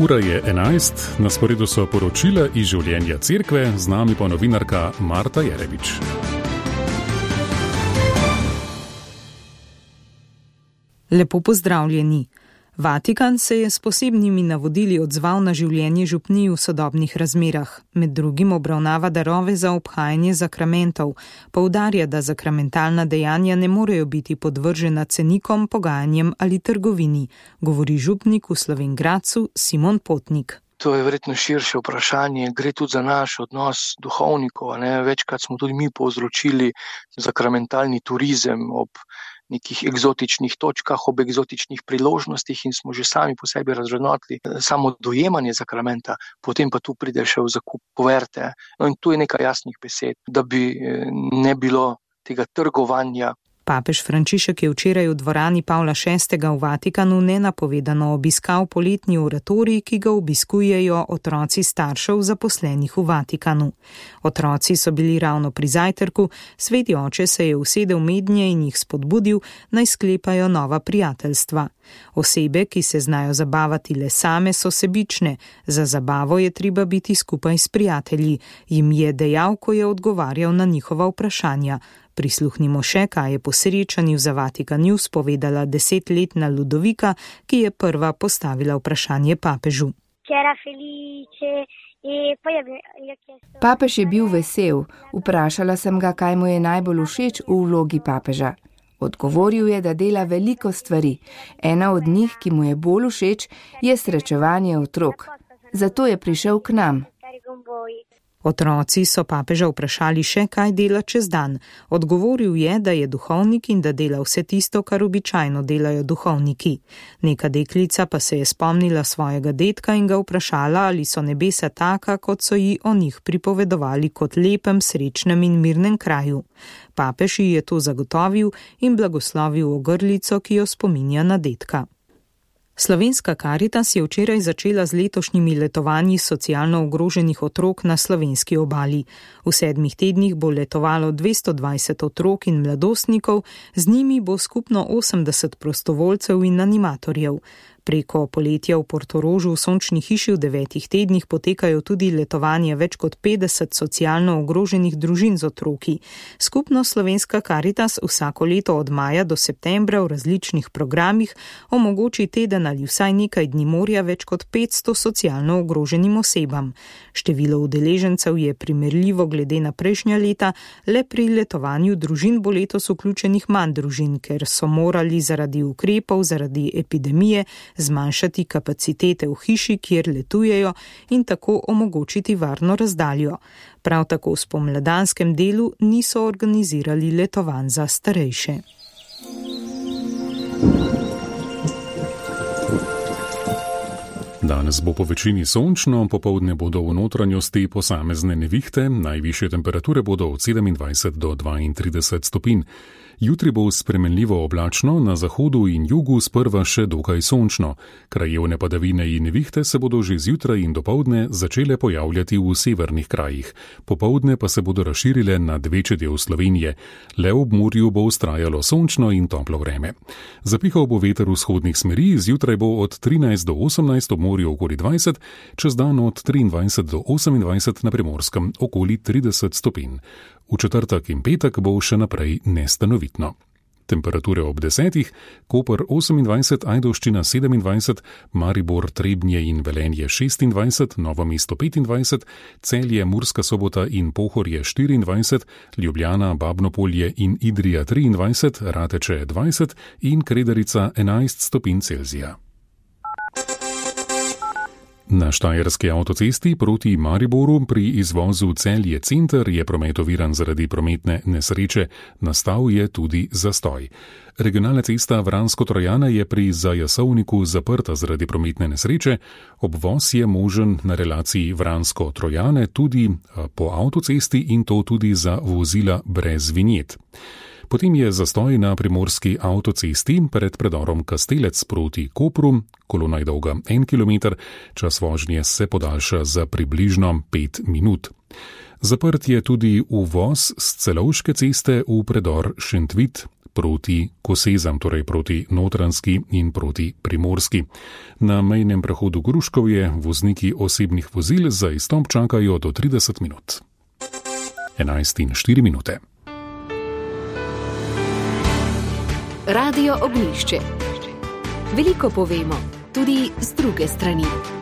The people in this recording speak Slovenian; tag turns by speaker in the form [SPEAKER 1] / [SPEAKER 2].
[SPEAKER 1] Ura je 11, na sporedu so poročila iz življenja cerkve, z nami pa novinarka Marta Jerevič.
[SPEAKER 2] Lepo pozdravljeni. Vatikan se je s posebnimi navodili odzval na življenje župnij v sodobnih razmerah. Med drugim obravnava darove za obhajanje zakramentov. Poudarja, da zakramentalna dejanja ne morejo biti podvržena cenikom, pogajanjem ali trgovini, govori župnik v Slovenj Gradcu Simon Potnik.
[SPEAKER 3] To je verjetno širše vprašanje, gre tudi za naš odnos duhovnikov. Večkrat smo tudi mi povzročili zakramentalni turizem ob nekih eksotičnih točkah, ob eksotičnih priložnostih in smo že sami po sebi razvrednotili samo dojemanje zakramenta, potem pa tu pride še v zakup kuverte. In tu je nekaj jasnih besed, da bi ne bilo tega trgovanja.
[SPEAKER 2] Papež Frančišek je včeraj v dvorani Pavla VI. V Vatikanu nenapovedano obiskal poletni oratorij, ki ga obiskujejo otroci staršev zaposlenih v Vatikanu. Otroci so bili ravno pri zajtrku, sveti oče se je usedel mednje in jih spodbudil, naj sklepajo nova prijateljstva. Osebe, ki se znajo zabavati le same, so sebične, za zabavo je treba biti skupaj s prijatelji, jim je dejal, ko je odgovarjal na njihova vprašanja. Prisluhnimo še, kaj je po srečanju za Vatikan News povedala 10-letna Ludovika, ki je prva postavila vprašanje papežu.
[SPEAKER 4] Papež je bil vesel. Vprašala sem ga, kaj mu je najbolj všeč v vlogi papeža. Odgovoril je, da dela veliko stvari. Ena od njih, ki mu je bolj všeč, je srečevanje otrok. Zato je prišel k nam.
[SPEAKER 2] Otroci so papeža vprašali še, kaj dela čez dan. Odgovoril je, da je duhovnik in da dela vse tisto, kar običajno delajo duhovniki. Neka deklica pa se je spomnila svojega dedka in ga vprašala, ali so nebesa taka, kot so ji o njih pripovedovali, kot lepem, srečnem in mirnem kraju. Papež ji je to zagotovil in blagoslovil ogrlico, ki jo spominja na dedka. Slovenska Karitas je včeraj začela z letošnjimi letovanji socialno ogroženih otrok na slovenski obali. V 7 tednih bo letovalo 220 otrok in mladostnikov, z njimi bo skupno 80 prostovoljcev in animatorjev. Preko poletja v Portorožu v Sončni hiši v 9 tednih potekajo tudi letovanje več kot 50 socialno ogroženih družin z otroki. Skupno Slovenska Karitas vsako leto od maja do septembra v različnih programih omogoči teden ali vsaj nekaj dni morja več kot 500 socialno ogroženim osebam. Število udeležencev je primerljivo glede na prejšnja leta, le pri letovanju družin bo letos vključenih manj družin, ker so morali zaradi ukrepov, zaradi epidemije zmanjšati kapacitete v hiši, kjer letujejo in tako omogočiti varno razdaljo. Prav tako v spomladanskem delu niso organizirali letovanj za starejše.
[SPEAKER 1] Danes bo po večini sončno, popoldne bodo v notranjosti posamezne nevihte, najvišje temperature bodo od 27 do 32 stopinj. Jutri bo spremenljivo oblačno, na zahodu in jugu sprva še dokaj sončno. Krajevne padavine in nevihte se bodo že zjutraj in dopoldne začele pojavljati v severnih krajih. Popoldne pa se bodo razširile nad večji del Slovenije. Le ob morju bo vztrajalo sončno in toplo vreme. Zapihal bo veter vzhodnih smeri, zjutraj bo od 13 do 18 ob morju okoli 20, čez dan od 23 do 28 na Primorskem okoli 30 stopinj. V četrtek in petek bo še naprej nestanovitno. Temperature ob 10, Koper 28, Ajdovščina 27, Maribor, Trebnje in Velenje 26, Novo mesto 25, Celje, Murska Sobota in Pohorje 24, Ljubljana, Babnopolje in Idrija 23, Rateče 20 in Kredarica 11 stopinj Celzija. Na Štajerski avtocesti proti Mariboru pri izvozu Celje center je promet oviran zaradi prometne nesreče, nastal je tudi zastoj. Regionalna cesta Vransko-Trojana je pri Zajasovniku zaprta zaradi prometne nesreče, obvoz je možen na relaciji Vransko-Trojane tudi po avtocesti in to tudi za vozila brez vinjet. Potem je zastoj na primorski avtocesti pred predorom Kastelec proti Kopru, kolona je dolga 1 km, čas vožnje se podaljša za približno 5 minut. Zaprt je tudi uvoz s Celovške ceste v predor Šentvit proti Kosezam, torej proti Notranjski in proti Primorski. Na mejnem prehodu Gruškovje vozniki osebnih vozil za izstop čakajo do 30 minut. 11:04.
[SPEAKER 5] Radio Ognjišče. Veliko povemo, tudi z druge strani.